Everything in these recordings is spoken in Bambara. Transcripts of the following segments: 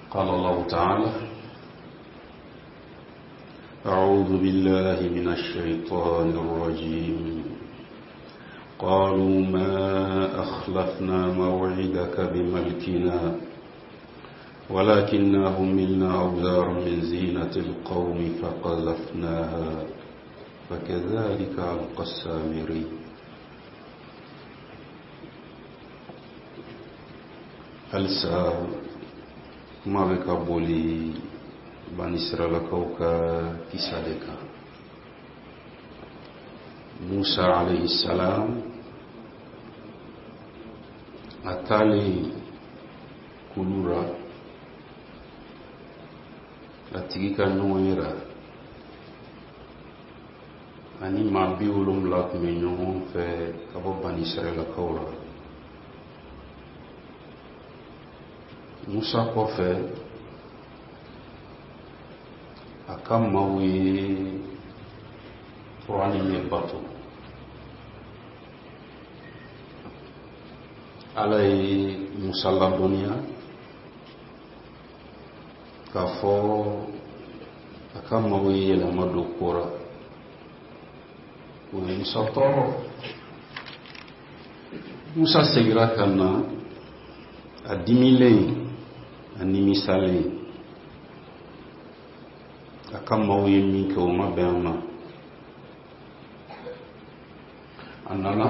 قال الله تعالى أعوذ بالله من الشيطان الرجيم قالوا ما أخلفنا موعدك بملكنا ولكننا هملنا أوزارا من زينة القوم فقذفناها فكذلك ألقى السامري Halisa kuma bɛ ka boli banisiralakaw ka kisa de kan. Musa alayhi salam a taalen kulu ra a tigi ka ɲɔgɔnye ra, ani maa 70 tun bɛ ɲɔgɔn fɛ ka bɔ banisiralakaw ra. Musa kɔfɛ, a ka maaw ye turanin de bato. Ala ye Musa ladɔnniya k'a fɔ a ka maaw ye yɛlɛma don ko ra, o ye Musa tɔɔrɔ. Musa segira ka na a dimilen, a nimisalen. A ka maaw ye min kɛ, o ma bɛn a ma. A nana,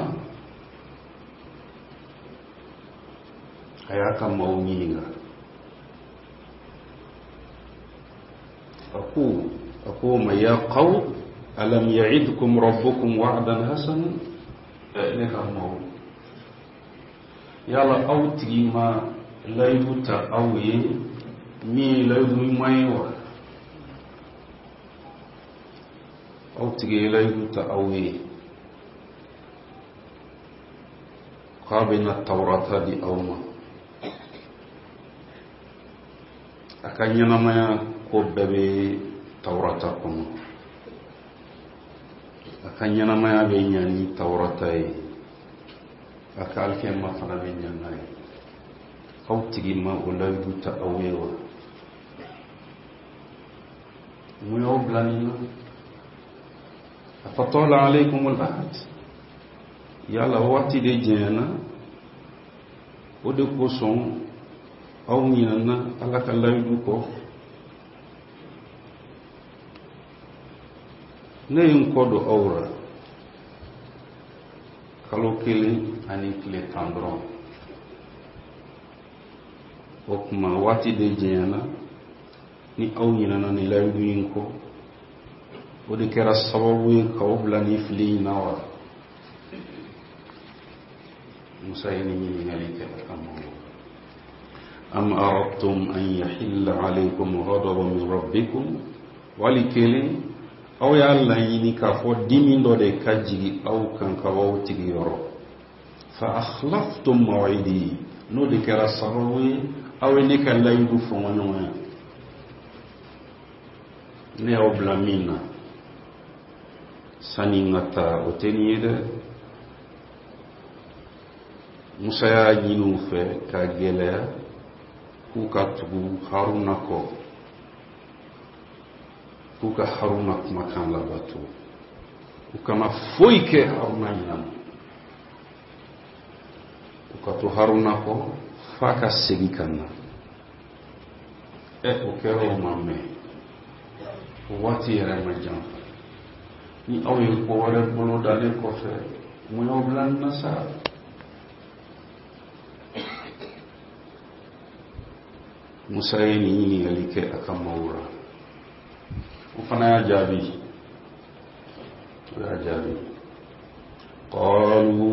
a y'a ka maaw ɲininka. A ko ma: ya qawm alam ya'idkum rabbukum wa'dan hasana? Ne ka maaw, yala aw tigi ma layidu ta aw ye min ye layidu ɲuman ye wa? Aw tigi ye layidu ta aw ye k'a bɛna Tawurata di aw ma, a ka ɲɛnamaya ko bɛɛ bɛ Tawurata kɔnɔ, a ka ɲɛnamaya bɛ ɲa ni Tawurata ye, a ka alikiyama fana bɛ ɲa n'a ye. Aw tigi ma o layidu ta aw ye wa? Mun y'aw bila nin na? Afatala alaykum al-ahd? Yala waati de janyana, o de kosɔn aw ɲinana Ala ka layidu kɔ? Ne ye n kɔ don aw ra kalo 1 ani tile 10 dɔrɔn. O tuma waati de janyana ni aw ɲinana ni layidu in kɔ, o de kɛra sababu ye k'aw bila ni fili in na wa? Musa ye nin ɲininkali kɛ a ka maaw. Am aradtum an yahilla alaykum ghadabun min rabbikum? Wali kelen aw y'a laɲini k'a fɔ dimi dɔ de ka jigi aw kan ka b'aw tigi yɔrɔ, fa akhlaftum maw'idi, n'o de kɛra sababu ye aw ye ne ka layidu fɔnkɔɲɔgɔnya? Ne y'aw bila min na sani n ka taa, o tɛ nin ye dɛ. Musa y'a ɲini u fɛ k'a gɛlɛya k'u ka tugu Haruna kɔ, k'u ka Haruna kumakan labato, u kana foyi kɛ Haruna ɲinama, u ka to Haruna kɔ f'a ka segin ka na. Ɛ, o kɛra, o ma mɛn, o waati yɛrɛ ma janfa ni aw ye ko wɛrɛ bolo dalen kɔfɛ. Mun y'aw bila nin na sa? Musa ye nin ɲininkali kɛ a ka maaw la. O fana y'a jaabi, o y'a jaabi. Qalu,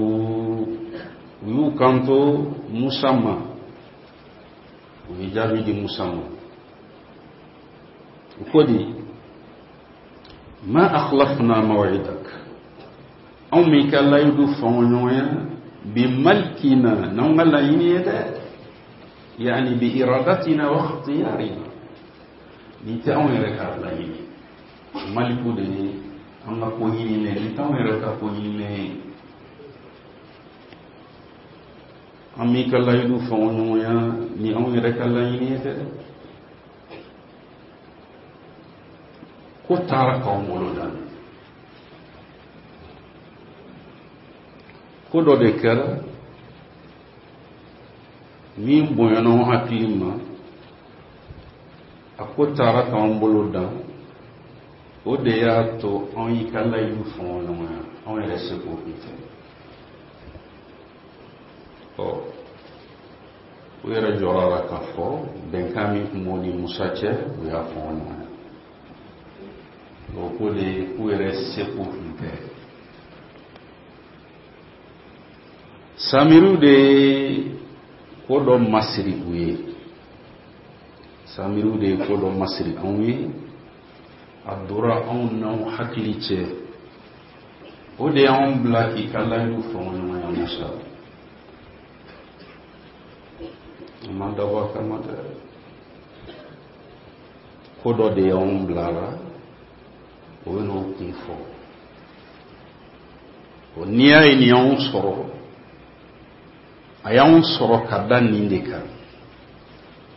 u y'u kanto Musa ma, u ye jaabi di Musa ma. U ko di: ma akhlafna maw'idak, anw m'i ka layidu fɔnkɔɲɔgɔnya, bi malkina, n'anw ka laɲini ye dɛ, yani bi iradatina wa ikhtiyarina, nin tɛ anw yɛrɛ ka laɲini. Maliku de ye an ka ko ɲininen, nin t'anw yɛrɛ ka ko ɲininen ye. An m'i ka layidu fɔnkɔɲɔgɔnya ni anw yɛrɛ ka laɲini ye dɛ. Ko taara k'anw bolo dan. Ko dɔ de kɛra min bonyana anw hakili ma, a ko taara k'anw bolo dan. O de y'a to anw y'i ka layidu fɔɲɔgɔnya, anw yɛrɛ seko tun tɛ. Ɔ, u yɛrɛ jɔra a la k'a fɔ bɛnkan min tun b'u ni Musa cɛ, u y'a fɔɲɔgɔnya. O ko de k'u yɛrɛ seko tun tɛ. Samiriw de ye ko dɔ masiri u ye, samiriw de ye ko dɔ masiri anw ye, a dora anw n'anw hakili cɛ, o de y'anw bila k'i ka layidu fɔɲɔgɔnya. Musa, a ma dabɔ a kama dɛ, ko dɔ de y'anw bila a la. O bɛ n'o kun fɔ. O n'i y'a ye nin y'anw sɔrɔ, a y'anw sɔrɔ ka da nin de kan.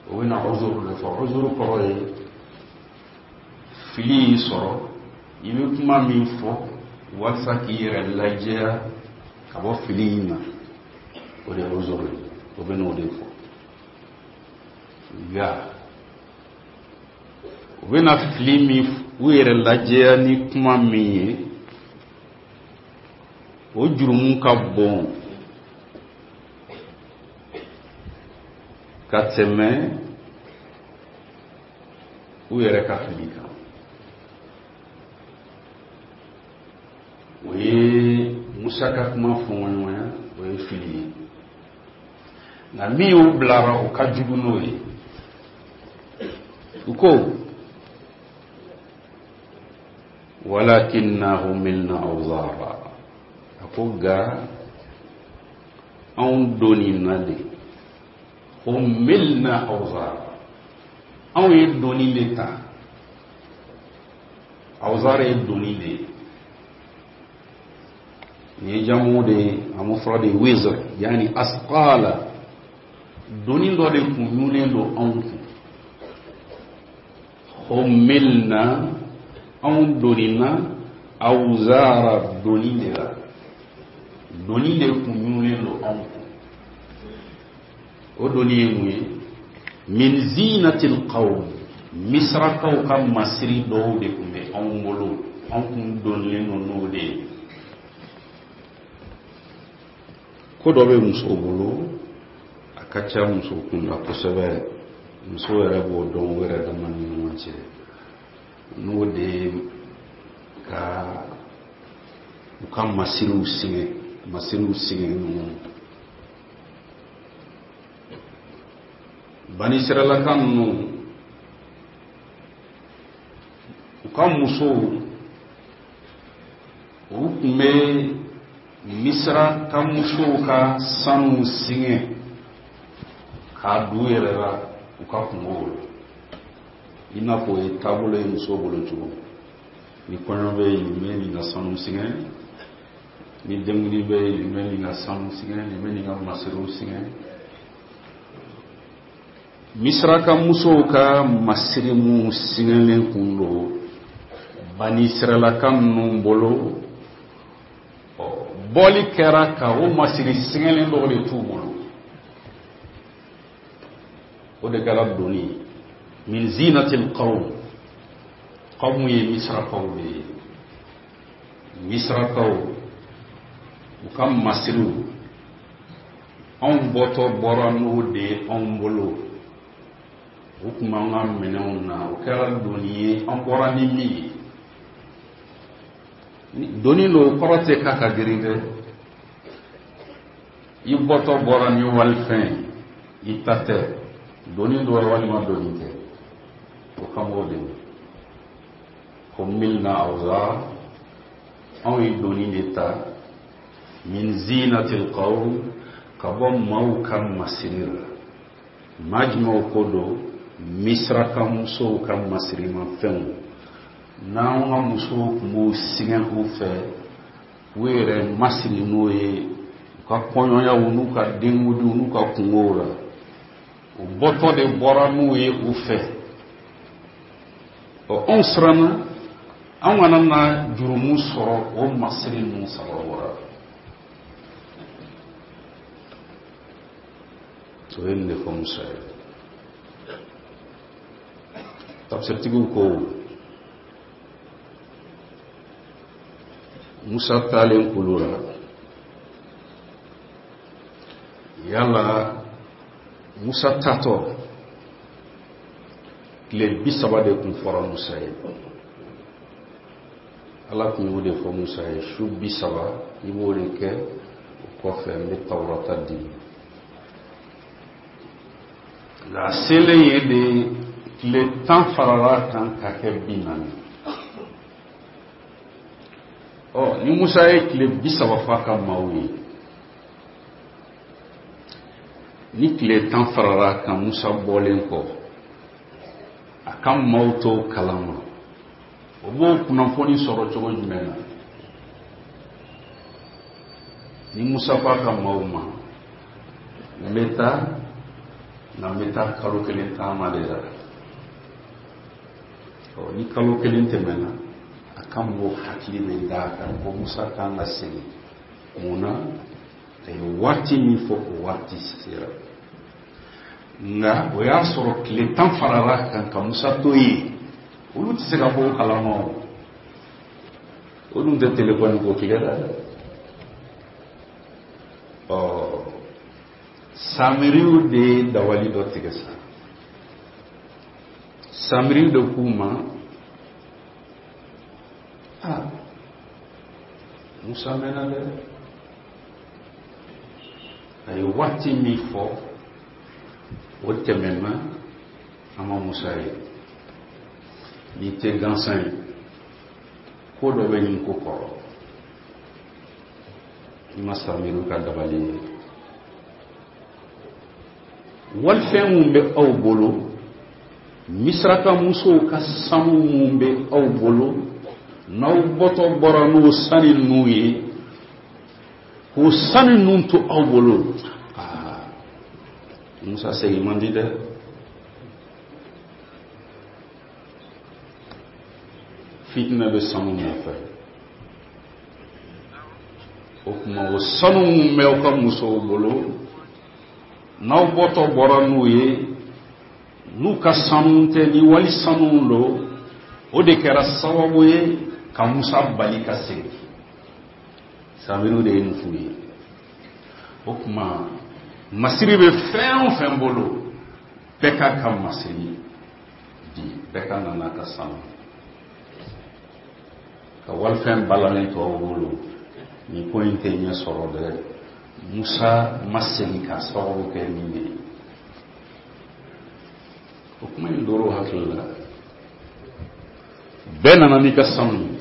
O bɛna uzuru de fɔ. Uzuru kɔrɔ ye fili y'i sɔrɔ, i bɛ kuma min fɔ walasa k'i yɛrɛ lajɛya ka bɔ fili in na, o de ye uzuru ye. O bɛ n'o de fɔ. Nka u bɛna fili min, u yɛrɛ lajɛya ni kuma min ye, o jurumu ka bon ka tɛmɛ u yɛrɛ ka fili kan. O ye Musa ka kuma fɔɲɔgɔnya, o ye fili ye, nka min y'u bilara, o ka jugu n'o ye. U ko walakinna humilna awzara, a ko nka anw donina de. Humilna awzara, anw ye doni de ta. Awzara ye doni de ye, nin ye jamu de ye, a mufrad de ye wizr, yani asqala. Doni dɔ de kun ɲunnen don anw kun. Humilna, anw donina, awzara, doni de la, doni de kun ɲunnen don anw kun. O doni ye mun ye? Min zinatil qawm, Misirakaw ka masiri dɔw de tun bɛ anw bolo, anw kun donilen don n'o de ye. Ko dɔ bɛ muso bolo, a ka ca muso kunda kosɛbɛ, muso yɛrɛ b'o dɔn u yɛrɛ dama ni ɲɔgɔn cɛ, n'o de ye ka u ka masiriw singɛ, masiriw singɛ ɲɔgɔn. Banisiralaka ninnu, u ka musow, u tun bɛ Misira ka musow ka sanu singɛ k'a don u yɛrɛ la u ka kungow la, i n'a fɔ o ye taabolo ye musow bolo cogo ni kɔɲɔ bɛ yen, nin bɛ nin ka sanu singɛ, ni denkundi bɛ yen, nin bɛ nin ka sanu singɛ, nin bɛ nin ka masiriw singɛ. Misira ka musow ka masiri minnu singɛlen kun don Banisiralaka ninnu bolo, bɔli kɛra ka o masiri singɛlen dɔw de t'u bolo, o de kɛra doni ye. Min zinatil qawm, qawmu ye Misirakaw de ye. Misirakaw u ka masiriw, anw bɔtɔ bɔra n'o de ye anw bolo, u tun b'an ka minɛnw na, o kɛra doni ye an bɔra ni min ye. Doni don, kɔrɔ tɛ k'a ka girin dɛ. I bɔtɔ bɔra ni walifɛn ye, i ta tɛ, doni don walima doni tɛ, o kan b'o de ma. Humilna awzar, anw ye doni de ta, min zinatil qawm, ka bɔ maaw ka masiri la. Maa jumɛnw ko don? Misiraka musow ka masirimafɛnw, n'anw ka musow tun b'u singɛ u fɛ u yɛrɛ masiri n'o ye u ka kɔɲɔyaw n'u ka denkundiw n'u ka kungow la, u bɔtɔ de bɔra n'u ye u fɛ. Ɔ, anw siranna. An kana na jurumu sɔrɔ o masiri ninnu sababu la. O ye nin de fɔ Musa ye. Tafsiritigiw ko Musa taalen kulu la, yala Musa taatɔ tile 30 de kun fɔra Musa ye. Ala tun y'o de fɔ Musa ye, su 30 i b'o de kɛ, o kɔfɛ n bɛ tawurata di. Nka a selen yen de, tile 10 farala a kan ka kɛ 40. Ɔ ni Musa ye tile 30 fɔ a ka maaw ye, ni tile 10 farala a kan Musa bɔlen kɔ, a ka maaw t'o kalama. O b'o kunnafoni sɔrɔ cogo jumɛn na? Ni Musa ko a ka maaw ma, n bɛ taa, nka n bɛ taa kalo kelen taama de la. Ɔ ni kalo kelen tɛmɛna, a ka mɔgɔw hakili bɛ da a kan ko Musa kan ka segin. Mun na? A ye waati min fɔ, o waati sera. Nka o y'a sɔrɔ tile 10 farala a kan ka Musa to yen. Olu tɛ se ka bɔ o kalama o. O dun tɛ telefɔni ko tile la dɛ. Ɔ Samiriw de ye dabali dɔ tigɛ sa. Samiriw de k'u ma, aa Musa mɛnna dɛ. A ye waati min fɔ, o tɛmɛna, an ma Musa ye. Nin tɛ gansan ye, ko dɔ bɛ nin ko kɔrɔ. I ma Samiriw ka dabali ye. Walifɛn mun bɛ aw bolo, Misiraka musow ka sanu mun bɛ aw bolo, n'aw bɔtɔ bɔra n'o sanu ninnu ye, k'o sanu ninnu to aw bolo, aa Musa segin man di dɛ. Fitinɛ bɛ sanu nɔfɛ. O tuma o sanu mun bɛ aw ka musow bolo, n'aw bɔtɔ bɔra n'u ye, n'u ka sanu tɛ, ni wali sanu don, o de kɛra sababu ye ka Musa bali ka segin. Samiriw de ye nin f'u ye. O tuma masiri bɛ fɛn o fɛn bolo, bɛɛ k'a ka masiri di, bɛɛ ka na n'a ka sanu. Ka walifɛn balalen to aw bolo, nin ko in tɛ ɲɛ sɔrɔ dɛ. Musa ma segin k'a sababu kɛ nin de ye. O kuma in dor'o hakili la. Bɛɛ nana n'i ka sanu ye.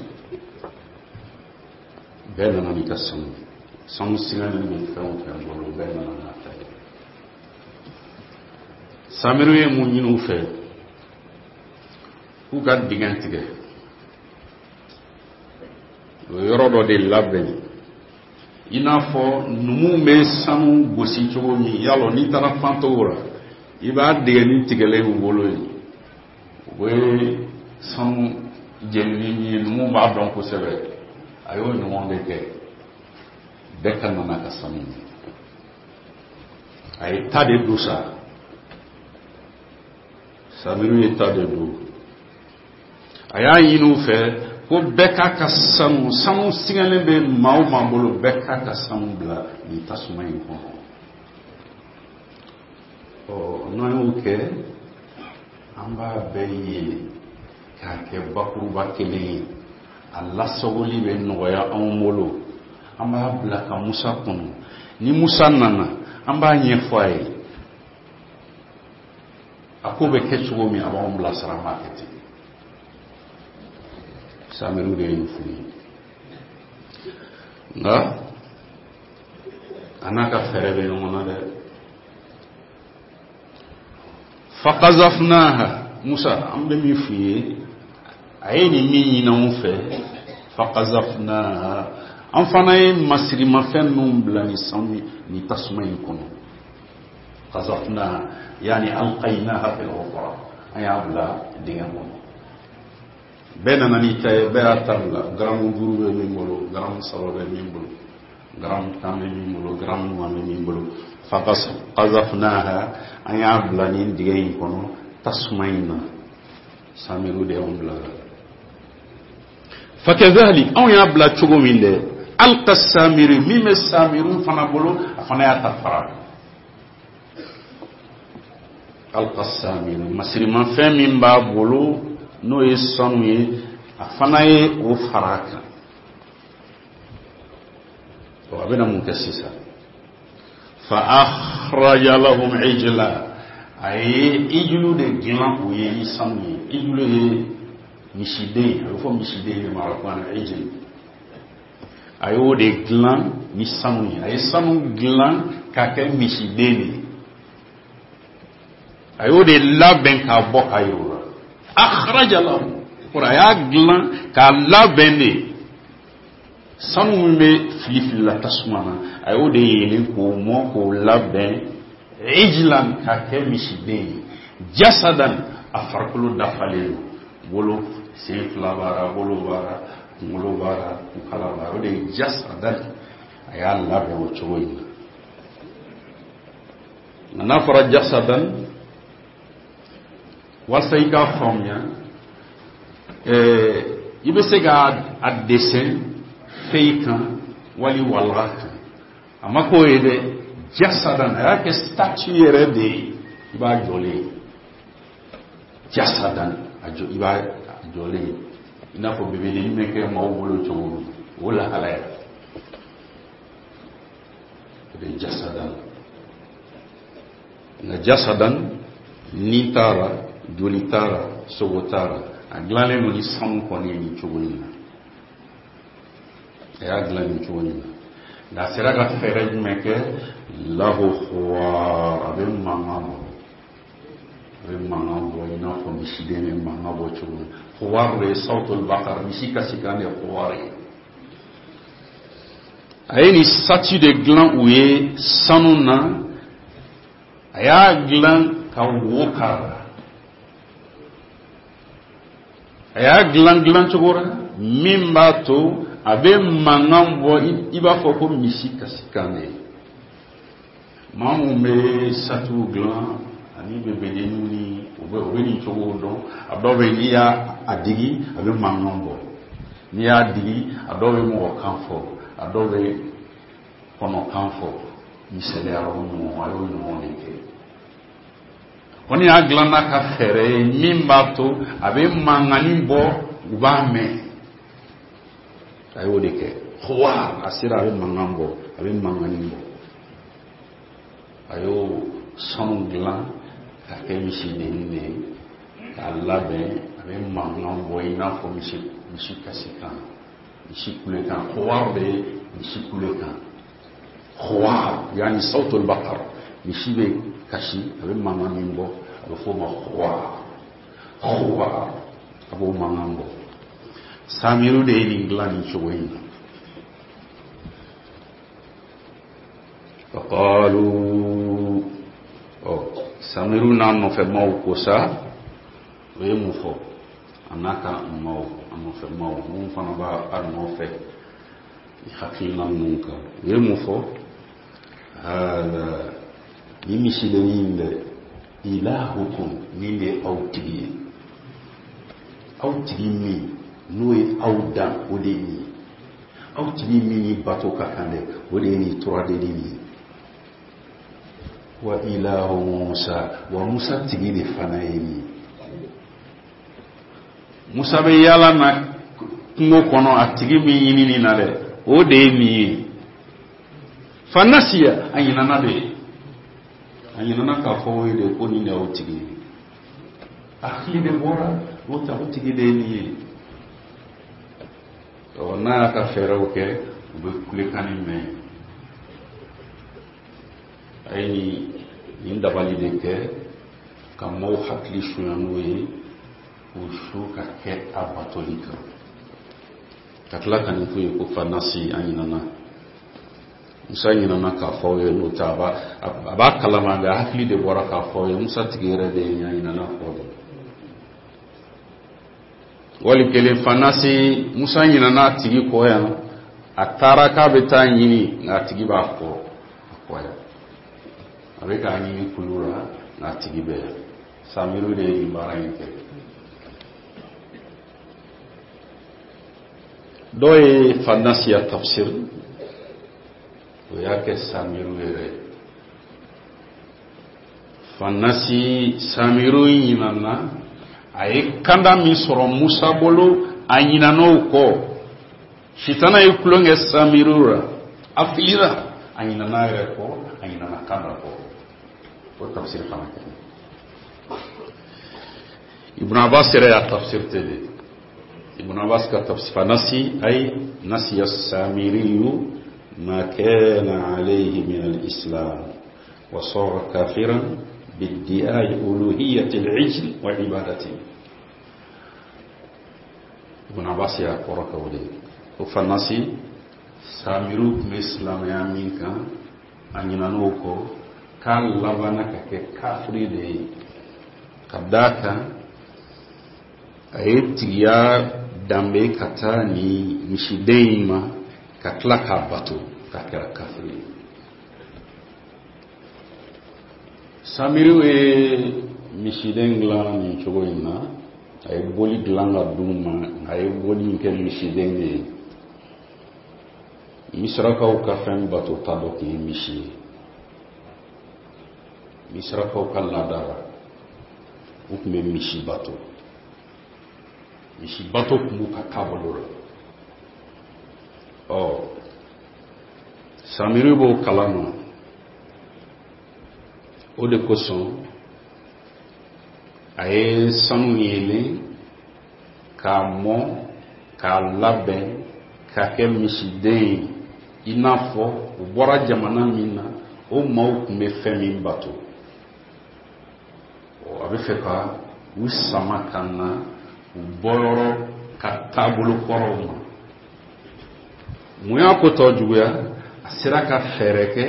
Bɛɛ nana n'i ka sanu ye. Sanu siganin bɛ fɛn o fɛn bolo, bɛɛ nana n'a ta ye. Samiriw ye mun ɲini u fɛ? K'u ka dingɛ tigɛ. O yɔrɔ dɔ de labɛn. I n'a fɔ numuw bɛ sanu gosi cogo min, yalɔ n'i taara fantow la, i b'a dingɛnin tigɛlen u bolo yen. U bɛ sanu jenini min ye, numuw b'a dɔn kosɛbɛ. A y'o ɲɔgɔn de kɛ. Bɛɛ ka na n'a ka sanu ye. A ye ta de don sa. Samiriw ye ta de don. A y'a ɲini u fɛ ko bɛɛ k'a ka sanu, sanu sigalen bɛ maa o maa bolo, bɛɛ k'a ka sanu bila nin tasuma in kɔnɔ. Ɔ n'an y'o kɛ, an b'a bɛɛ yeelen k'a kɛ bakuruba kelen ye. A lasagoli bɛ nɔgɔya anw bolo. An b'a bila ka Musa kɔnɔ. Ni Musa nana, an b'a ɲɛfɔ a ye. A ko bɛ kɛ cogo min, a b'anw bilasira, an b'a kɛ ten. Samiriw de ye nin f'u ye. Nka a n'a ka fɛɛrɛ bɛ ɲɔgɔn na dɛ. Fakazafnaha, Musa, an bɛ min f'u ye, a ye nin min ɲini anw fɛ, fakazafnaha, an fana ye masirimafɛn ninnu bila nin sanu nin tasuma in kɔnɔ. Kazafnaha, yani alqaynaha fil hufra, an y'a bila dingɛ kɔnɔ. Bɛɛ nana n'i ta ye, bɛɛ y'a ta bila. Garamu 5 bɛ min bolo, garamu 3 bɛ min bolo, garamu 10 bɛ min bolo, garamu 20 bɛ min bolo. Faqazafnaha, an y'a bila nin dingɛ in kɔnɔ tasuma in na. Samiru de y'anw bila la. Fakadhalik, anw y'a bila cogo min dɛ, alqa samiri, min bɛ samiru fana bolo, a fana y'a ta fara. Alqa samiri, masirimafɛn min b'a bolo n'o ye sanu ye, a fana ye o fara a kan. A bɛna mun kɛ sisan? Fa akhraja lahum ijla, a ye ijulu de dilan u ye ni sanu ye. Ijulu ye misiden, a bɛ fɔ misiden de ma arabukan na ijil. A y'o de dilan ni sanu ye, a ye sanu dilan k'a kɛ misiden de ye, a y'o de labɛn k'a bɔ k'a yir'u la. Akhraja lahum, kɔrɔ a y'a dilan k'a labɛn de. Sanu min bɛ fili fili la tasuma na, a y'o de yeelen k'o mɔ k'o labɛn ijlan k'a kɛ misiden ye. Jasadan, a farikolo dafalen don, bolo sen fila b'a la, bolo b'a la, kunkolo b'a la, kukala b'a la, o de ye jasadan. A y'a labɛn o cogo in na. Nka n'a fɔra jasadan, walasa i k'a faamuya, i bɛ se ka a dessin feuille kan wali walaha kan. A ma k'o ye dɛ, jasadan, a y'a kɛ statue yɛrɛ de ye, i b'a jɔlen ye. Jasadan, a jɔ, i b'a jɔlen ye i n'a fɔ bebedennin bɛ kɛ maaw bolo cogo min, o lahalaya o de ye jasadan. Nka jasadan, ni t'a la, joli t'a la, sogo t'a la, a dilanlen don ni sanu kɔni ye nin cogo in na. A y'a dilan nin cogo in na, nka a sera ka fɛɛrɛ jumɛn kɛ? Lahu khuwar, a bɛ mankan bɔ, a bɛ mankan bɔ i n'a fɔ misiden bɛ mankan bɔ cogo min. Khuwar de ye sawtul bakar, misi kasikan de ye khuwar ye. A ye nin statue de dilan u ye sanu na, a y'a dilan ka wo k'a la, a y'a dilan dilan cogo la min b'a to a bɛ mankan bɔ i b'a fɔ ko misi kasikan de ye. Maa minnu bɛ statuew dilan ani bebedenninw ni u bɛ nin cogow dɔn. A dɔw bɛ yen, n'i y'a digi a bɛ mankan bɔ, n'i y'a digi a dɔw bɛ mɔgɔ kan fɔ, a dɔw bɛ kɔnɔ kan fɔ. Misaliya o ɲɔgɔn, a y'o ɲɔgɔn de kɛ. Kɔni y'a dilan n'a ka fɛɛrɛ ye min b'a to a bɛ mankanni bɔ, u b'a mɛn. A y'o de kɛ. Khuwar, a sera a bɛ mankan bɔ, a bɛ mankanni bɔ. A y'o sanu dilan k'a kɛ misidennin de ye k'a labɛn, a bɛ mankan bɔ i n'a fɔ misi kasikan, misi kulekan. Khuwar de ye misi kulekan. Khuwar, yani sawtul bakar, misi bɛ kasi, a bɛ mankan min bɔ, a bɛ f'o ma khuwar. Khuwar, a b'o mankan bɔ. Samiru de ye nin dilan nin cogo in na. Faqalu, ɔ Samiru n'a nɔfɛ maaw ko sa, o ye mun fɔ? A n'a ka maaw, a nɔfɛ maaw minnu fana b'a nɔfɛ hakilina ninnu kan, u ye mun fɔ? Hada, nin misidennin in dɛ, ilahukum, nin de ye aw tigi ye, aw tigi min n'o ye aw dan, o de ye nin ye. Aw tigi min ni bato ka kan dɛ, o de ye nin turadennin nin ye. Wa ilahu Musa, wa Musa tigi de fana ye nin ye. Musa bɛ yaala na kungo kɔnɔ, a tigi min ɲinini na dɛ, o de ye nin ye. Fanasiya, a ɲinana de, a ɲinana k'a fɔ o ye de ko nin de y'aw tigi ye. A hakili de bɔra o ta, o tigi de ye nin ye. Ɔ n'a y'a ka fɛɛrɛw kɛ, u bɛ kulekan nin mɛn. A ye nin dabali de kɛ ka maaw hakili sunya n'o ye, k'u su ka kɛ a batoli kan, ka tila ka nin f'u ye ko fanasi, an ɲinana. Musa ɲinana k'a fɔ aw ye, n'o tɛ a b'a kalama, nka hakili de bɔra k'a fɔ aw ye. Musa tigi yɛrɛ de ye, a ɲinana kɔ de. Wali kelen fanasi Musa ɲinana a tigi kɔ yan, a taara k'a bɛ taa ɲini, nka a tigi b'a kɔ, a kɔ yan. A bɛ k'a ɲini kulu la, nka a tigi bɛ yan. Samiru de ye nin baara in kɛ. Dɔw ye fanasiya tafsir, o y'a kɛ Samiru yɛrɛ ye. Fanasi Samiru ɲinana, a ye kanda min sɔrɔ Musa bolo, a ɲinana o kɔ. Sitana ye tulon kɛ Samiru la, a filira, a ɲinana a yɛrɛ kɔ, a ɲinana kanda kɔ. O tafsir fana kɛ. Ibn Abbas yɛrɛ y'a tafsir ten de. Ibn Abbas ka tafsir fanasi ay nasiya Samiriyu ma kana alayhi min al-islam wa sara kafiran biddi'ai uluhiyyati al-ijl wa ibadati. Ibn Abbas y'a kɔrɔ kɛ o de ye. O fanasi Samiru tun bɛ silamɛya min kan, a ɲinan'o kɔ, k'a labanna ka kɛ kafiri de ye, ka d'a kan a ye tigiya danbe ka taa ni misiden in ma, ka tila k'a bato, k'a kɛra kafiri ye. Samiru ye misiden dilan nin cogo in na, a ye boli dilan ka d'u ma, a ye boli in kɛ misiden de ye. Misirakaw ka fɛn batota dɔ tun ye misi ye. Misirakaw ka laada la, u tun bɛ misi bato. Misi bato tun b'u ka taabolo la. Ɔ, Samiru b'o kalama, o de kosɔn a ye sanu yeelen k'a mɔ k'a labɛn k'a kɛ misiden ye, i n'a fɔ u bɔra jamana min na, o maaw tun bɛ fɛn min bato. A bɛ fɛ ka u sama ka na u bɔyɔrɔ ka taabolo kɔrɔw ma. Mun y'a ko tɔ juguya? A sera ka fɛɛrɛ kɛ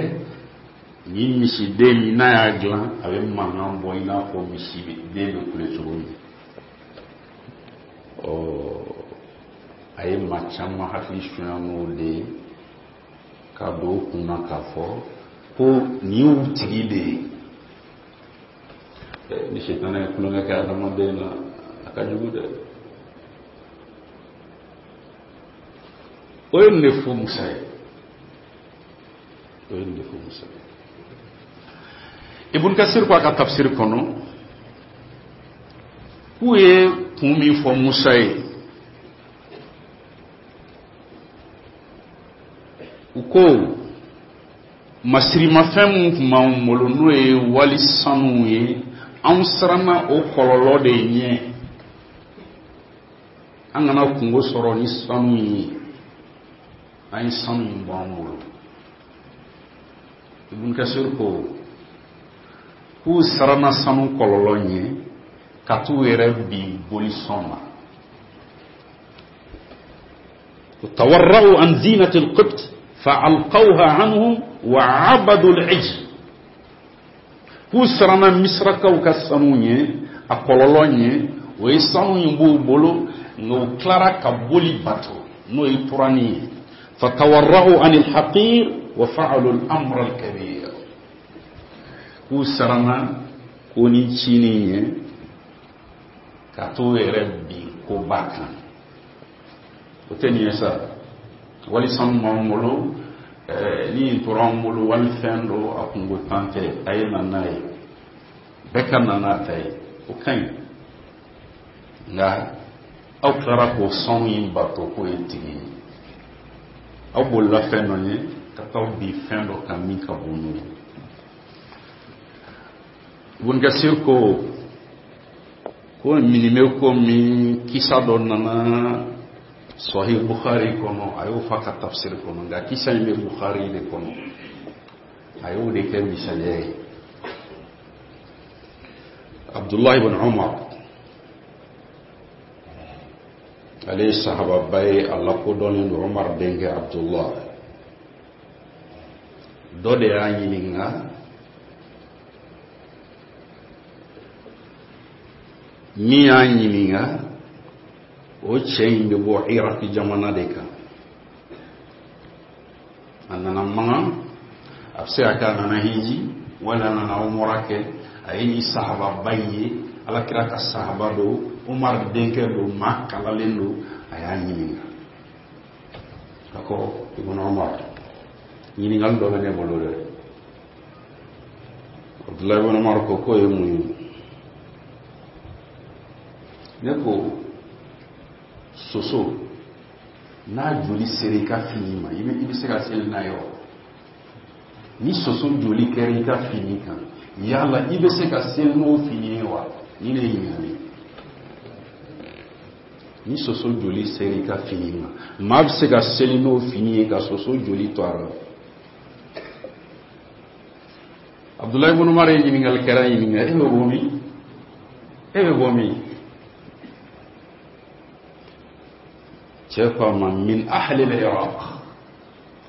ni misiden min n'a y'a dilan, a bɛ mankan bɔ i n'a fɔ misiden bɛ kule cogo min. Ɔ, a ye maa caman hakili sunya n'o de ye, k'a don u kun na k'a fɔ ko nin y'u tigi de ye. Ni sitana ye tulonkɛ kɛ adamaden na, a ka jugu dɛ. O ye nin de fɔ Musa ye, o ye nin de fɔ Musa ye. Ibn Kasir ko a ka tafsir kɔnɔ k'u ye kun min fɔ Musa ye, u ko masirimafɛn min tun b'anw bolo, n'o ye wali sanuw ye, anw siranna o kɔlɔlɔ de ɲɛ, an kana kungo sɔrɔ ni sanu ye, an ye sanu in bɔ an bolo. Ibn Kasir ko k'u siranna sanu kɔlɔlɔ ɲɛ ka t'u yɛrɛ bin bolisɔn na. Tawarra'u an zinati al-qibt fa'alqawha anhum wa 'abadu al-'ijl. K'u siranna Misirakaw ka sanu ɲɛ, a kɔlɔlɔ ɲɛ, o ye sanu in b'u bolo, nka u tilara ka boli bato, n'o ye turani ye. Fatawarra'u anil haqir wa fa'alu al-amra al-kabir. K'u siranna ko ni cinin ɲɛ ka t'u yɛrɛ bin koba kan. O tɛ nin ye sa, wali sanu b'an bolo, ni nin tora an bolo, wali fɛn dɔ a kungo tan tɛ, a ye na n'a ye, bɛɛ ka na n'a ta ye, o ka ɲi. Nka aw tilara k'o sanu in bato k'o ye tigi ye, aw bolila fɛn dɔ ɲɛ ka taa bin fɛn dɔ kan min ka bon n'o ye. Ibn Kasir ko ko nin bɛ ko min kisa dɔ nana Sahih Bukhari kɔnɔ, a y'o fɔ a ka tafsir kɔnɔ, nka kisa in bɛ Bukhari de kɔnɔ, a y'o de kɛ misaliya ye. Abdullah ibn Umar, ale ye sahababa ye, a lakodɔnnen don, Umar denkɛ Abdullah. Dɔ de y'a ɲininka min y'a ɲininka O cɛ in bɛ bɔ Iraki jamana de kan. A nana Makan, a bɛ se ka kɛ a nana hiji wala a nana umura kɛ. A ye nin sahababa in ye, Alakira ka sahaba don, Umar denkɛ don, maa kalalen don. A y'a ɲininka, a ko: Ibn Umar, ɲininkali dɔ bɛ ne bolo dɛ. Abdulayi ibn Umar ko k'o ye mun ye? Ne ko soso n'a joli sera i ka fini ma, i bɛ se ka seli n'a ye wa? Ni soso joli kɛra i ka fini kan, yala i bɛ se ka seli n'o fini ye wa? Ni ne ye ɲininkali. Ni soso joli sera i ka fini ma, maa bɛ se ka seli n'o fini ye ka soso joli to a la? Abdulayi ibn Umar ye ɲininkalikɛla ɲininka: e bɛ bɔ min? E bɛ bɔ min? Cɛ ko a ma: min ahli al-Iraq.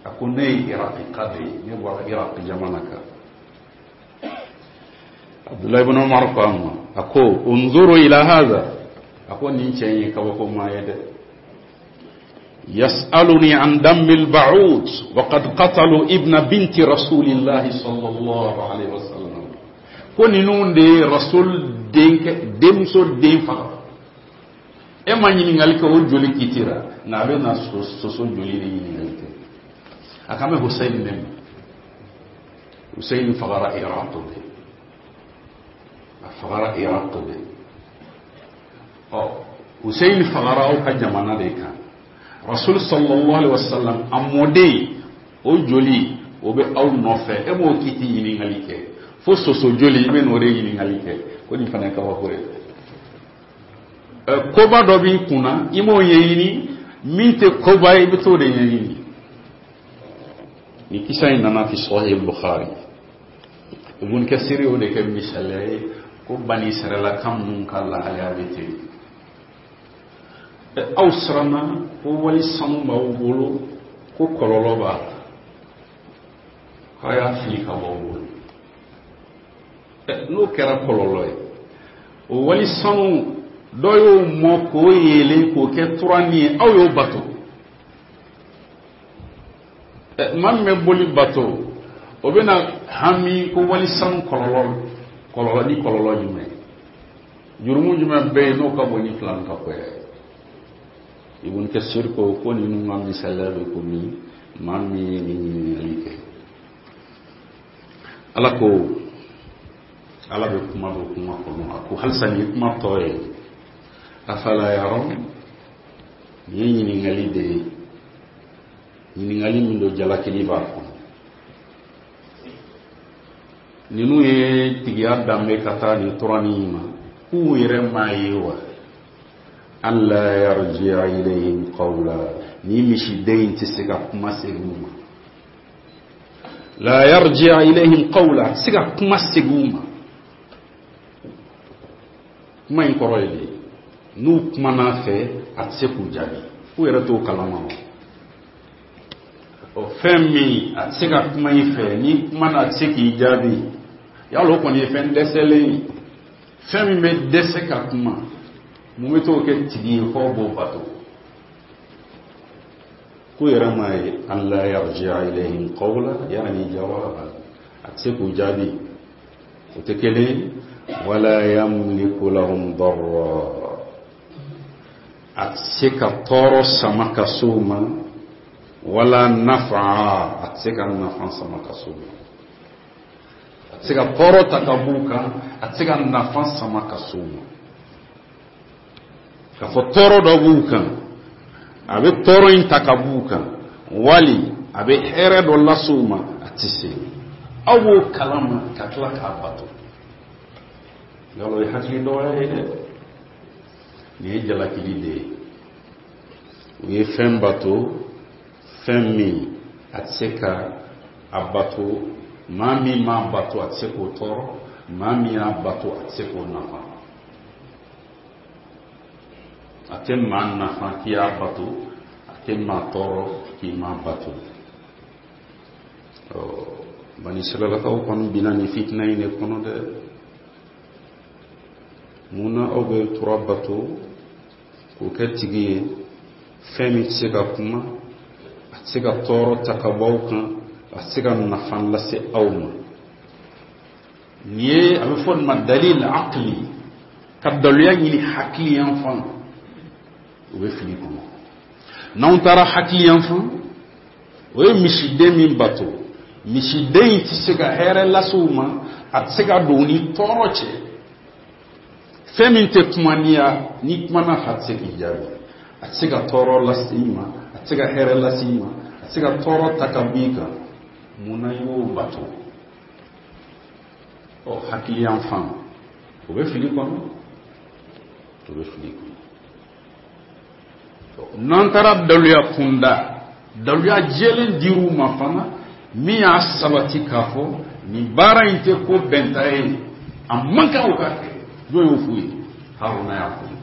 A ko ne ye Iraki ka de ye, ne bɔra Iraki jamana kan. Abdulayi ibn Umar ko a ma, a ko: unzuru ila hadha. A ko nin cɛ in ye kabako maa ye dɛ. يسألني عن دم البعوض وقد قتلوا ابن بنت رسول الله صلى الله عليه وسلم. Ko ninnu de ye Rasul denkɛ denmuso den faga. E ma ɲininkali kɛ o joli kiti la, nka a bɛ na soso joli de ɲininkali kɛ. A kan bɛ Hussein de ma. Hussein fagara Iraq de, a fagara Iraq de. Ɔ, Hussein fagara aw ka jamana de kan. Rasul sallallahu alaihi wasallam a mɔden, o joli o bɛ aw nɔfɛ, e m'o kiti ɲininkali kɛ, fo soso joli i bɛ n'o de ɲininkali kɛ. Ko nin fana ye kabako ye. Koba dɔ b'i kunna, i m'o ɲɛɲini, min tɛ koba ye, i bɛ t'o de ɲɛɲini. Ni kisa in nana fi Sahih Bukhari. Ibn Kasir y'o de kɛ misaliya ye ko Bani Israɛla minnu ka lahalaya bɛ ten. Aw siranna ko wali sanu b'aw bolo, ko kɔlɔlɔ b'a la, k'a y'a fili ka bɔ aw bolo. N'o kɛra kɔlɔlɔ ye, o wali sanu dɔ y'o mɔ k'o yeelen k'o kɛ turanin ye, aw y'o bato. Maa min bɛ boli bato, o bɛna hami ko wali sanu kɔlɔlɔ, kɔlɔlɔ ni kɔlɔlɔ jumɛn, jurumu jumɛn bɛ yen n'o ka bon ni filan ka ko ye? Ibn Kasir ko ko ninnu ka misaliya bɛ komi maa min ye nin ɲininkali kɛ. Ala ko, Ala bɛ kuma dɔ kuma kɔnɔ, a ko halisa nin ye kuma tɔ ye: afala yarawun. Nin ye ɲininkali de ye, ɲininkali min don jalakili b'a kɔnɔ. Ninnu ye tigiya danbe ka taa nin turanin ma, k'u yɛrɛ m'a ye wa? An la yarji'a ilayhim qawla. Ni misiden in tɛ se ka kuma segin u ma. La yarji'a ilayhim qawla, a tɛ se ka kuma segin u ma. Kuma in kɔrɔ ye di? N'u kumana fɛ, a tɛ se k'u jaabi. K'u yɛrɛ t'o kalama wa? O fɛn min a tɛ se ka kuma i fɛ, n'i kumana a tɛ se k'i jaabi, yala o kɔni ye fɛn dɛsɛlen ye? Fɛn min bɛ dɛsɛ ka kuma, mun bɛ t'o kɛ tigi ye f'aw b'o bato? K'u yɛrɛ m'a ye? An la yarji'a ilayhim qawla, yani jawaba, a tɛ se k'u jaabi, o tɛ kelen. Wala yamliku lahum darra, a tɛ se ka tɔɔrɔ sama ka s'u ma, wala nafa, a tɛ se ka nafa sama ka s'u ma. A tɛ se ka tɔɔrɔ ta ka b'u kan, a tɛ se ka nafa sama ka s'u ma. K'a fɔ tɔɔrɔ dɔ b'u kan, a bɛ tɔɔrɔ in ta ka b'u kan, wali a bɛ hɛrɛ dɔ lase u ma, a tɛ se. Aw b'o kalama ka tila k'a bato, yala o ye hakili dɔgɔya ye dɛ. Nin ye jalakili de ye. U ye fɛn bato, fɛn min a tɛ se ka a bato. Maa min m'a bato, a tɛ se k'o tɔɔrɔ. Maa min y'a bato, a tɛ se k'o nafa. A tɛ maa nafa k'i y'a bato, a tɛ maa tɔɔrɔ k'i m'a bato. Ɔ, Bani Siralakaw kɔni binna nin fitina in de kɔnɔ dɛ. Mun na aw bɛ tura bato? K'o kɛ tigi ye fɛn min tɛ se ka kuma, a tɛ se ka tɔɔrɔ ta ka bɔ aw kan, a tɛ se ka nafa lase aw ma. Nin ye a bɛ fɔ nin ma dalil aqli, ka daluya ɲini hakili yan fan, o bɛ fili kɔnɔ. N'anw taara hakili yan fan, o ye misiden min bato, misiden in tɛ se ka hɛrɛ lase u ma, a tɛ se ka don u ni tɔɔrɔ cɛ. Fɛn min tɛ kuma n'i ya, n'i kumana a fɛ, a tɛ se k'i jaabi, a tɛ se ka tɔɔrɔ lase i ma, a tɛ se ka hɛrɛ lase i ma, a tɛ se ka tɔɔrɔ ta ka bɔ i kan. Mun na i b'o bato? Ɔ, hakili yan fan, o bɛ fili kɔnɔ, o bɛ fili kɔnɔ. N'an taara daluya kunda, daluya jɛlen dir'u ma fana min y'a sabati k'a fɔ nin baara in tɛ ko bɛnta ye, a man kan o ka kɛ. Jɔn y'o f'u ye? Haruna y'a f'u ye.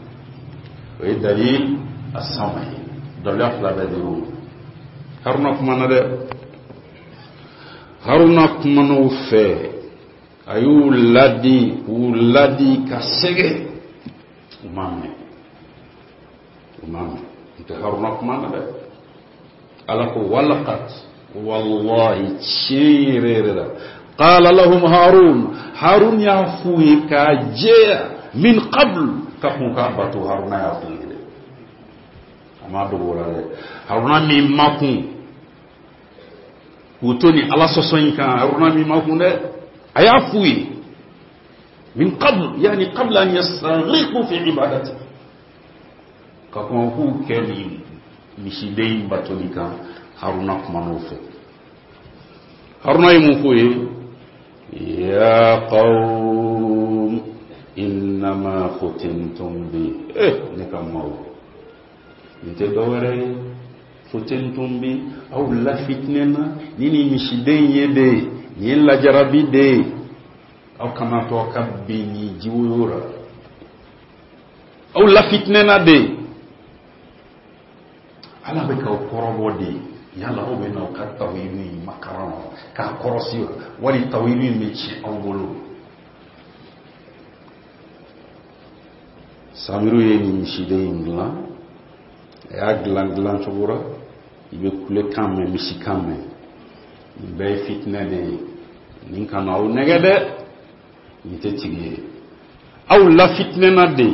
O ye dalil asama ye. Daluya fila bɛɛ dir'u ma. Haruna kumana dɛ, Haruna kumana u fɛ, a y'u ladi, k'u ladi ka sɛgɛn, u m'a mɛn, u m'a mɛn. N tɛ Haruna kumana dɛ. Ala ko walaqad, wallahi, tiɲɛ yɛrɛ yɛrɛ la, qala lahum Harun, Harun y'a f'u ye k'a jɛya, min qabl, ka kun k'a bato, Haruna y'a f'u ye dɛ, a m'a dogo o la dɛ. Haruna min ma kun k'u to ni Ala sɔsɔ in kan, Haruna min ma kun dɛ, a y'a f'u ye min qabl, yani qabla an yastaghriqu fi ibadati, ka kɔn k'u kɛ nin misiden in batoli kan. Haruna kuman'o fɛ. Haruna ye mun f'u ye? Ya qawm innama futintum bi, eh, ne ka maaw, nin tɛ dɔwɛrɛ ye, futintum bi, aw lafitinɛna ni nin misiden ye de, nin ye lajarabi de ye, aw kana to aw ka bin nin jiwoyo la, aw lafitinɛna de, Ala bɛ k'aw kɔrɔbɔ de, yala aw bɛ n'aw ka tawhidu in makaran wa, k'a kɔrɔsi wa, wali tawhidu in bɛ tiɲɛ aw bolo. Samiru ye nin misiden in dilan, a y'a dilan dilan cogo la i bɛ kulekan mɛn, misikan mɛn. Nin bɛɛ ye fitinɛ de ye. Nin kana aw nɛgɛ dɛ, nin tɛ tigi ye, aw lafitinɛna de.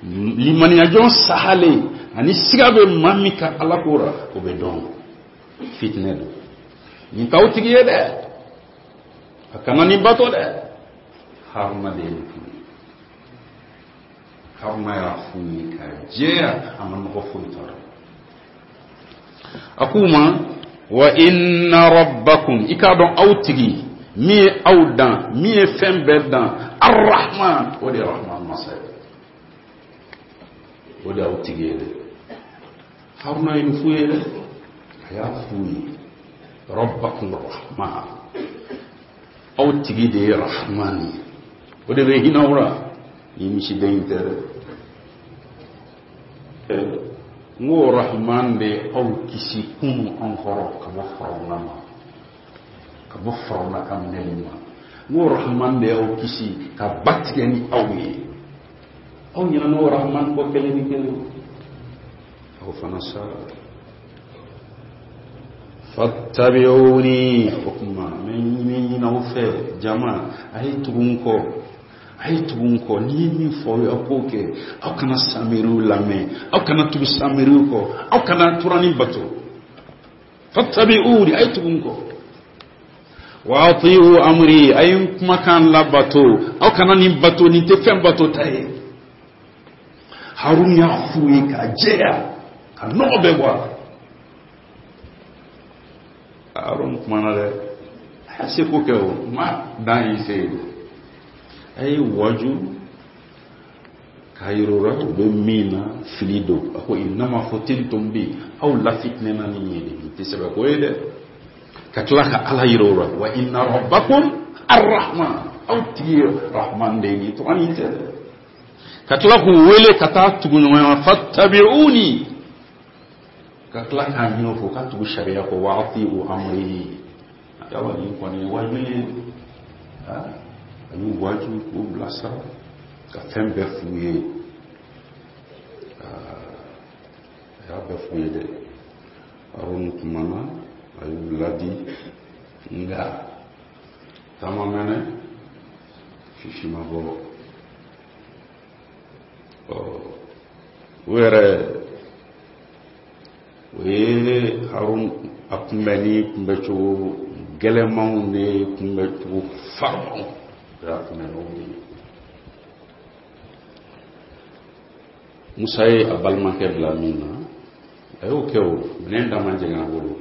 Limaniyajɔn sahalen ani siga bɛ maa min ka Ala ko la, o bɛ dɔn fitinɛ don. Nin t'aw tigi ye dɛ, a kana nin bato dɛ. Haruna de ye nin f'u ye. Haruna y'a f'u ye k'a jɛya, a ma nɔgɔ foyi t'a la. A k'u ma wa inna rabbakum, i k'a dɔn aw tigi min ye aw dan, min ye fɛn bɛɛ dan, arrahman, o de ye rahman masa ye, o de y'aw tigi ye dɛ. Haruna ye nin f'u ye dɛ, a y'a f'u ye rabbakum rahman, aw tigi de ye rahman ye, o de bɛ hinɛ aw la, ni misiden in tɛ dɛ. N ko rahman de ye aw kisi kunu an kɔrɔ ka bɔ Farawuna ma, ka bɔ Farawuna ka minɛli ma. N ko rahman de y'aw kisi ka ba tigɛ ni aw ye. Aw ɲinɛna o rahman kɔ kelen ni kelen, aw fana sara. Fattabi'uni, o tuma n bɛ ɲini aw fɛ jama, a ye tugu n kɔ, a ye tugu n kɔ. N'i ye min fɔ aw ye, aw k'o kɛ. Aw kana samiriw lamɛn, aw kana tugu samiriw kɔ, aw kana turanin bato. Fattabi'uni, a ye tugu n kɔ. Wa ati'u amri, a ye n kumakan labato, aw kana nin bato, nin tɛ fɛn bato ta ye. Harun y'a f'u ye k'a jɛya, ka nɔgɔ bɛɛ bɔ a la. Harun kumana dɛ, a y'a seko kɛ, o ma dan y'i se ye dɛ. A ye waju k'a yir'u la u bɛ min na fili don. A ko innama futintum bi, aw lafitinɛna ni nin ye de, nin tɛ sɛbɛ ko ye dɛ. Ka tila ka Ala yir'u la wa inna rabbakum arrahman, aw tigi ye rahman de ye, nin tɔgɔ nin tɛ dɛ. Ka tila k'u wele ka taa tugu ɲɔgɔn na, fattabi'uni, ka tila k'a ɲini u fɛ u ka tugu sariya kɔ, wa ati'u amri. Yala nin kɔni ye wajuli ye, a y'u waju k'u bilasira ka fɛn bɛɛ f'u ye. bɛɛ f'u ye dɛ. Harun kumana, a y'u ladi, nka ta ma mɛnɛ, sisi ma bɔ. Ɔ, u yɛrɛ o ye Harun a kunbɛn ni kunbɛcogo gɛlɛnmanw de ye, kunbɛcogo farimanw o y'a kunbɛn n'o de ye. Musa ye a balimakɛ bila min na, a y'o kɛ. O minɛn da ma jɛngɛ a bolo,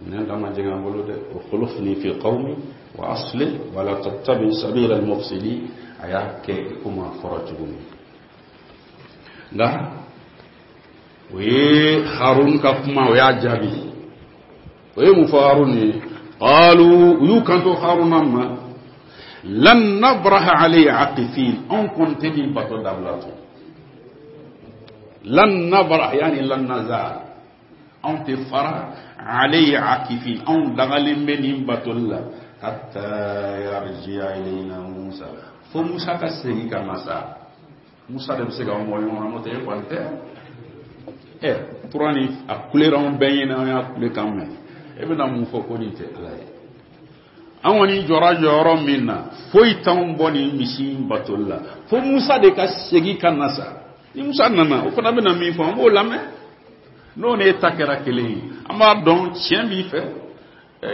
minɛn da ma jɛngɛ a bolo dɛ. Ukhlufni fi qawmi wa aslih wala tattabi sabila al-mufsidin. A y'a kɛ i komi a fɔra cogo min. Nka o ye Harun ka kuma, o y'a jaabi. O ye mun fɔ Harun ye? Qalu, u y'u kanto Haruna ma: lan nabraha alayhi aqifin. Anw kɔni tɛ nin bato dabila tun. Lan nabrah, yani lan nazal, anw tɛ fara. Alayhi aqifin, anw dagalen bɛ nin batoli la. Hatta yarji'a ilayna Musa, fo Musa ka segin ka na sa. Musa de bɛ se k'anw bɔ ɲɔgɔn na, n'o tɛ e kɔni tɛ. Ɛ, tura ni a kulera anw bɛɛ ɲɛna, an y'a kulekan mɛn. E bɛna mun fɔ ko nin tɛ Ala ye? An kɔni jɔra jɔyɔrɔ min na, foyi t'anw bɔ nin misi in batoli la, fo Musa de ka segin ka na sa. Ni Musa nana, o fana bɛna min fɔ, an b'o lamɛn. N'o n'e ta kɛra kelen ye, an b'a dɔn tiɲɛ b'i fɛ.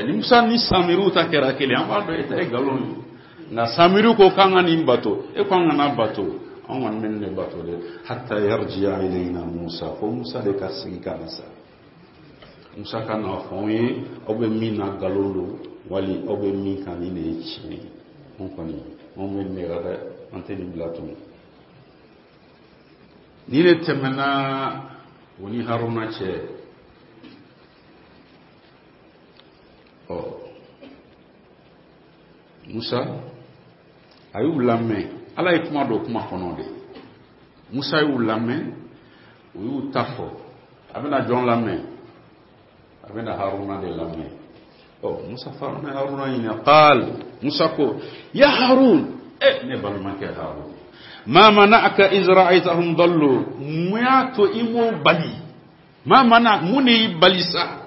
Ni Musa ni Samiriw ta kɛra kelen, an b'a dɔn e ta ye nkalon ye. Nka Samiriw ko k'an ka nin bato, e ko an kana bato, an kɔni bɛ nin de bato dɛ. Hatta yarji'a ilayna Musa, fo Musa de ka segin ka na sa. Musa ka n'a fɔ anw ye aw bɛ min na nkalon don, wali aw bɛ min kan nin de ye tiɲɛ ye. Anw kɔni, anw bɛ nin de la dɛ, an tɛ nin bila tun. Nin de tɛmɛna o ni Haruna cɛ. Ɔ, Musa a y'u lamɛn. Ala ye kuma don kuma kɔnɔ de. Musa y'u lamɛn, u y'u ta fɔ. A bɛna jɔn lamɛn? A bɛna Haruna de lamɛn. Ɔ, Musa fana Haruna ɲininka. Qaal, Musa ko: ya Harun, e ne balimakɛ Harun, ma mana'aka iz ra'aytahum dallu? Mun y'a to i m'o bali? Ma mana, mun de y'i bali sa?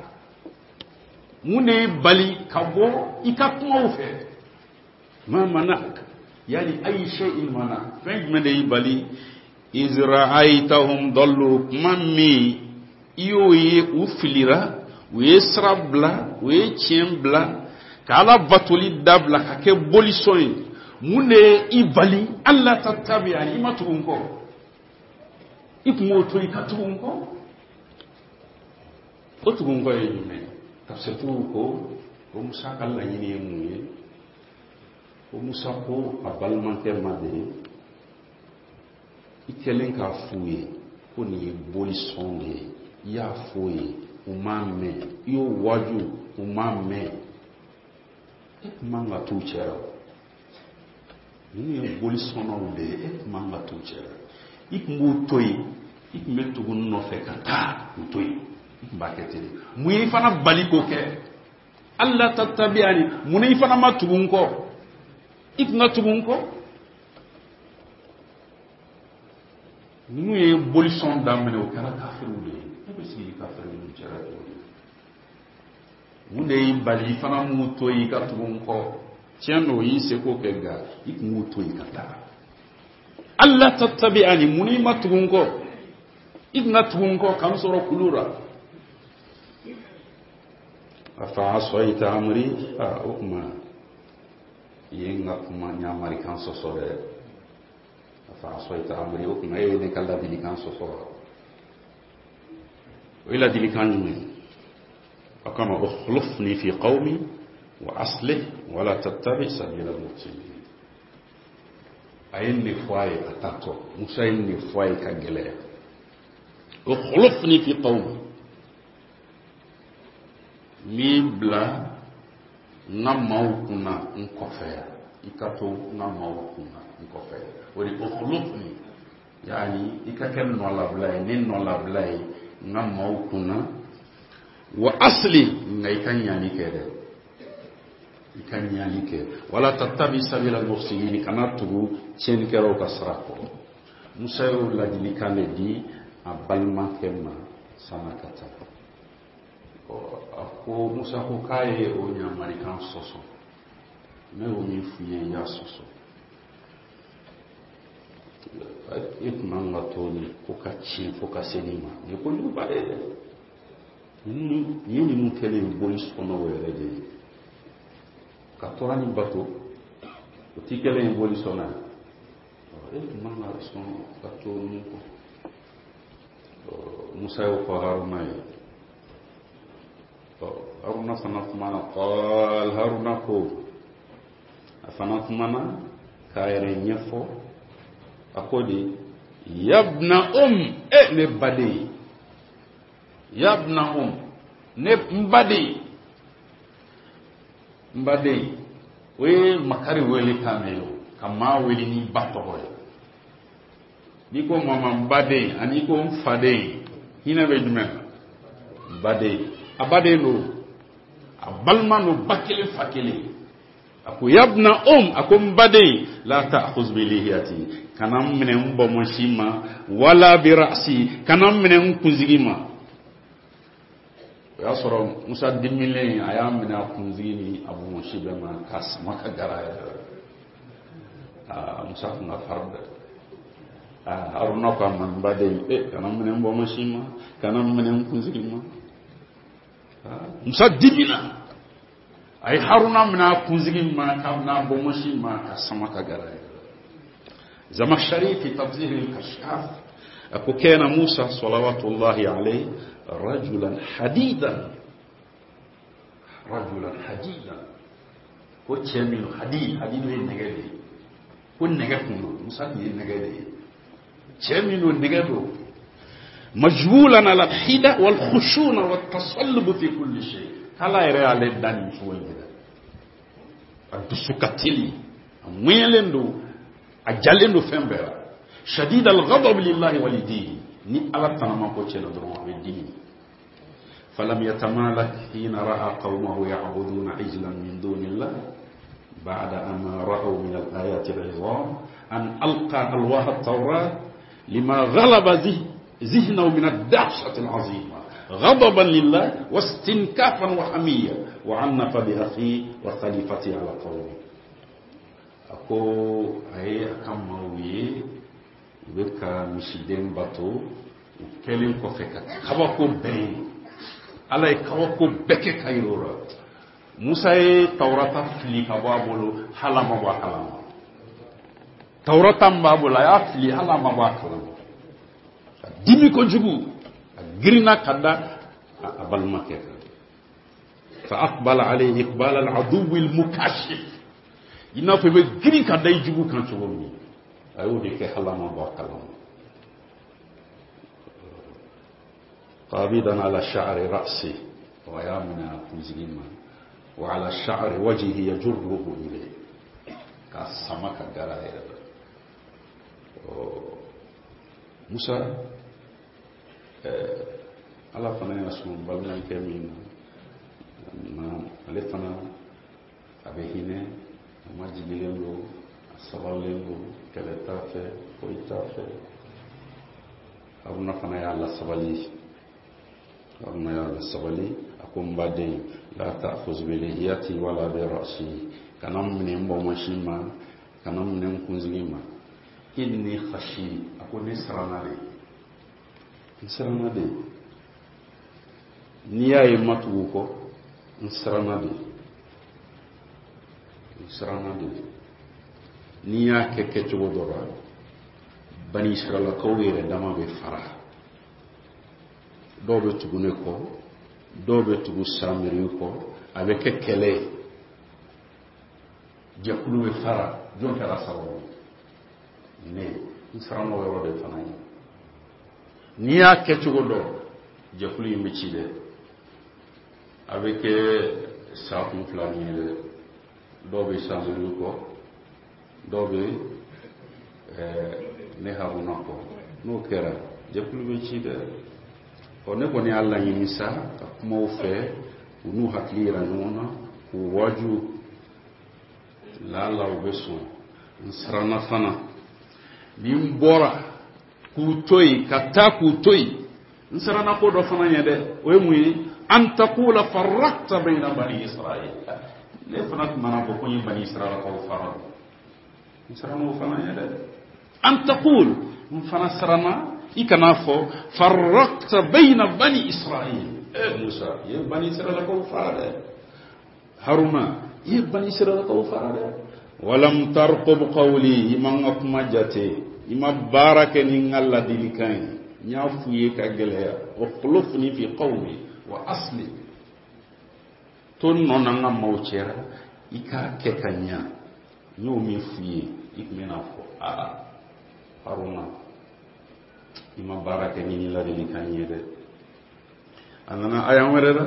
Mun de y'i bali ka bɔ i ka kumaw fɛ? Ma mana'aka, yani ayi shay'in mana, fɛn jumɛn de y'i bali? Iz ra'aytahum dallu, kuma min i y'o ye u filira, u ye sira bila, u ye tiɲɛ bila, ka Ala batoli dabila ka kɛ bolisɔn ye. Mun de ye i bali? Alla tattabi'ani, i ma tugu n kɔ. I tun b'o to i ka tugu n kɔ. O tugu n kɔ ye jumɛn? Tafsirtigiw ko ko Musa ka laɲini ye mun ye? Ko Musa ko a balimakɛ ma de: i kɛlen k'a f'u ye ko nin ye bolisɔn de ye, i y'a f'u ye, u m'a mɛn, i y'o waaju, u m'a mɛn, e tun man ka t'u cɛ la. Ninnu ye bolisɔnnaw de ye, e tun man ka t'u cɛ la. I tun b'u to yen, i tun bɛ tugu n nɔfɛ ka taa u to yen. I tun b'a kɛ ten de. Mun y'i fana bali k'o kɛ? Alla tattabi'ani, mun i fana ma tugu n kɔ? I tun ka tugu n kɔ. Ninnu ye bolisɔn daminɛ, o kɛra kafiriw de ye. E bɛ sigi kafiriw ninnu cɛla cogo di? Mun de y'i bali i fana m'u to yen i ka tugu n kɔ? Tiɲɛ don, i y'i seko kɛ, nka i tun b'u to yen ka taa. Alla tattabi'ani, mun i ma tugu n kɔ? I tun ka tugu n kɔ ka n sɔrɔ kulu la. Afa asayta amri, a o tuma i ye n ka kuma ɲamarikan sɔsɔ dɛ. Afa asayta amri, o tuma e ye ne ka ladilikan sɔsɔ wa? O ye ladilikan jumɛn? A kama: ukhlufni fi qawmi wa aslih wala tattabi sabila al-mufsidin. A ye nin de fɔ a ye a taatɔ. Musa ye nin de fɔ a ye ka gɛlɛya: ukhlufni fi qawmi, n b'i bila n ka maaw kunna n kɔfɛ yan, i ka to n ka maaw kunna n kɔfɛ yan. O de ukhlufni, yani i ka kɛ nɔlabila ye, ne nɔlabila ye n ka maaw kunna. Wa aslih, nka i ka ɲani kɛ dɛ, i ka ɲani kɛ. Wala tattabi sabila al-mufsidin, kana tugu tiɲɛnikɛlaw ka sira kɔ. Musa y'o ladilikan de di a balimakɛ ma. San'a ka taa, a ko Musa ko k'a ye o ɲamarikan sɔsɔ. Ne y'o min f'i ye, i y'a sɔsɔ. E tun man ka to nin ko ka tiɲɛ fo ka se nin ma. Nin ye kojuguba de ye dɛ. Nin ye ninnu kɛlen ye boli sɔnnaw yɛrɛ de ye ka tora nin bato, o ti kɛlen ye boli sɔnna ye. E tun man ka sɔn ka to ninnu kɔ. Musa y'o fɔ Haruna ye. Haruna fana kumana. Qal, Haruna ko, a fana kumana k'a yɛrɛ ɲɛfɔ. A ko di: yabna um, e ne baden, yabna um, ne n baden, n baden. O ye makari wele kan de ye o, ka maa wele ni ba tɔgɔ ye. N'i ko mama n baden ani i ko n faden, hinɛ bɛ jumɛn na? N baden, a baden don, a balima don, ba kelen fa kelen. A ko yabna um, a ko n baden, la ta'khuz bi lihiyati, kana n minɛ n bɔmɔsi ma, wala bi ra'si, kana n minɛ n kunsigi ma. O y'a sɔrɔ Musa dimilen, a y'a minɛ a kunsigi ni a bɔmɔsi bɛɛ ma k'a sama ka gara a yɛrɛ la. Aa, Musa tun ka farin dɛ. Aa, Haruna ko a ma: n baden, e kana n minɛ n bɔmɔsi ma, kana n minɛ n kunsigi ma. Musa dimina, a ye Haruna minɛ a kunsigi ma k'a minɛ a bɔmɔsi ma ka sama ka gara a yɛrɛ la. Zamakhshari fi tafsir al-Kashaf a ko: kana Musa salawatullahi alayhi rajulan hadidan, rajulan hadidan. Ko cɛ min hadid, hadid ye nɛgɛ de ye, ko nɛgɛ kun don. Musa tun ye nɛgɛ de ye, cɛ min don, nɛgɛ don. Majbulan ala alhida wal khushuna wat tasallub fi kulli shay. K'Ala yɛrɛ y'ale da nin cogo in de la. A dusu ka teli, a ŋɛɲɛlen don, a jalen don fɛn bɛɛ la. Shadid al-ghadab lillahi wa lidini. Ni Ala tanama ko cɛ la dɔrɔn, a bɛ dimi. فلم يتمالك حين رأى قومه يعبدون عجلا من دون الله بعد أن رأوا من الآيات العظام أن ألقى ألواح التوراة لما غلب ذهنه من الدهشة العظيمة غضبا لله واستنكافا وحمية، وعنف بأخيه وخليفته على قومه. A ko a ye a ka maaw ye u bɛ ka misiden bato, u kɛlen kɔfɛ ka kabako bɛɛ ye. Ala ye kabako bɛɛ kɛ ka yir'o la. Musa ye Tawurata fili ka bɔ a bolo, hali a ma bɔ a kalama. Tawurata min b'a bolo, a y'a fili, hali a ma bɔ a kalama. Ka dimi kojugu, a girinna ka da a balimakɛ kan. Fa aqbala alayhi iqbal al-aduw al-mukashif, i n'a fɔ i bɛ girin ka da i jugu kan cogo min, a y'o de kɛ, hali a ma bɔ a kalama. Qabidan ala sha'ri ra'si, wa y'a minɛ a kunsigi ma, wa ala sha'ri wajhihi yajurruhu ilayhi, k'a sama ka gara a yɛrɛ la. Musa, Ala fana y'a sɔn balimakɛ min na, ale fana a bɛ hinɛ, a majigilen don, a sabalilen don, kɛlɛ t'a fɛ, foyi t'a fɛ. Haruna fana y'a lasabali, Haruna y'a lasabali. A ko: n baden, la ta'khuz bi lihiyati wala bi ra'si, kana n minɛ n bɔmɔsi ma, kana n minɛ n kunsigi ma. Inni khashi, a ko ne siranna de, n siranna de. N'i y'a ye ma tugu kɔ, n siranna de, n siranna de. N'i y'a kɛ kɛcogo dɔ la, Bani Israilakaw yɛrɛ dama bɛ fara, dɔw bɛ tugu ne kɔ, dɔw bɛ tugu Samiri kɔ, a bɛ kɛ kɛlɛ ye, jɛkulu bɛ fara. Jɔn kɛra sababu ye? Ne n siranna o yɔrɔ de fana ye. N'i y'a kɛ cogo dɔn, jɛkulu in bɛ ci dɛ, a bɛ kɛ sa kun fila min ye dɛ. Dɔw bɛ Samiri kɔ, dɔw bɛ ne Haruna kɔ. N'o kɛra, jɛkulu bɛ ci dɛ. Ɔ, ne kɔni y'a laɲini sa ka kuma u fɛ, u n'u hakili yira ɲɔgɔn na, k'u waaju, laala u bɛ sɔn. N siranna fana, ni n bɔra k'u to yen ka taa k'u to yen. N siranna ko dɔ fana ɲɛ dɛ, o ye mun ye? An taqula farraqta bayna bani Israil. Ne fana tun mana fɔ ko n ye bani Israilakaw fara, n siranna o fana ɲɛ dɛ. An taqul, n fana siranna i kana fɔ farraqta bayna bani Israil. Eh Musa, i ye bani Israilakaw fara dɛ. Haruna, i ye bani Israilakaw fara dɛ. Walam tarqub qawli, i ma n ka kuma jate, i ma baara kɛ ni n ka ladilikan ye. N y'a f'u ye ka gɛlɛya, ukhlufni fi qawmi wa asli, to n nɔ na n ka maaw cɛra, i k'a kɛ ka ɲa. N y'o min f'u ye, i tun bɛna fɔ aa Haruna, i ma baara kɛ ni nin ladilikan ye dɛ. A nana aya wɛrɛ la,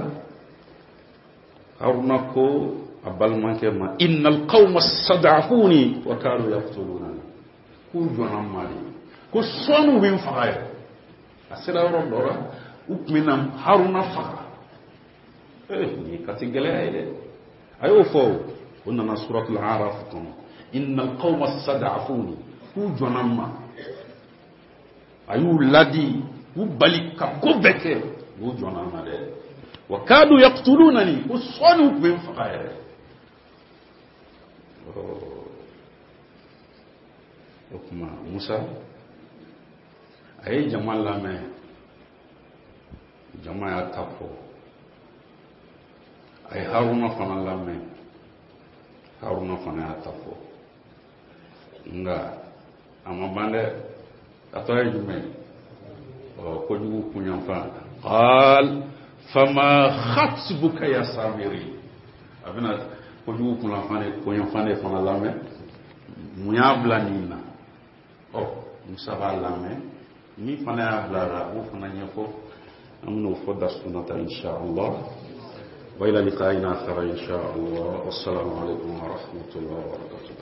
Haruna ko a balimakɛ ma, innal qawma stad'afuni wa kadu yaqtulunani, k'u jɔnna n ma de, ko sɔɔni u bɛ n faga yɛrɛ. A sera yɔrɔ dɔ la, u tun bɛna Haruna faga. Ee, nin ye kati gɛlɛya ye dɛ. A y'o fɔ, o nana suratul Araf kɔnɔ, innal qawma stad'afuni, k'u jɔnna n ma. A y'u ladi k'u bali ka ko bɛɛ kɛ, u jɔnna n ma dɛ. Wa kadu yaqtulunani, ko sɔɔni u tun bɛ n faga yɛrɛ. O tuma Musa a ye jama lamɛn, jama y'a ta fɔ. A ye Haruna fana lamɛn, Haruna fana y'a ta fɔ. Nka a ma ban dɛ, a tɔ ye jumɛn ye? Ɔ, kojugu kunyanfan. Qal fama khatbuka ya Samiri. A bɛna kojugu kunyanfan de, kunyanfan de fana lamɛn. Mun y'a bila nin na? Ɔ, Musa b'a lamɛn, min fana y'a bila la, a b'o fana ɲɛfɔ. An bɛn'o fɔ darsu nata insha Allah. Wa ila liqa'in akhar insha Allah. Wassalamu alaikum wa rahmatullahi wa barakatuh.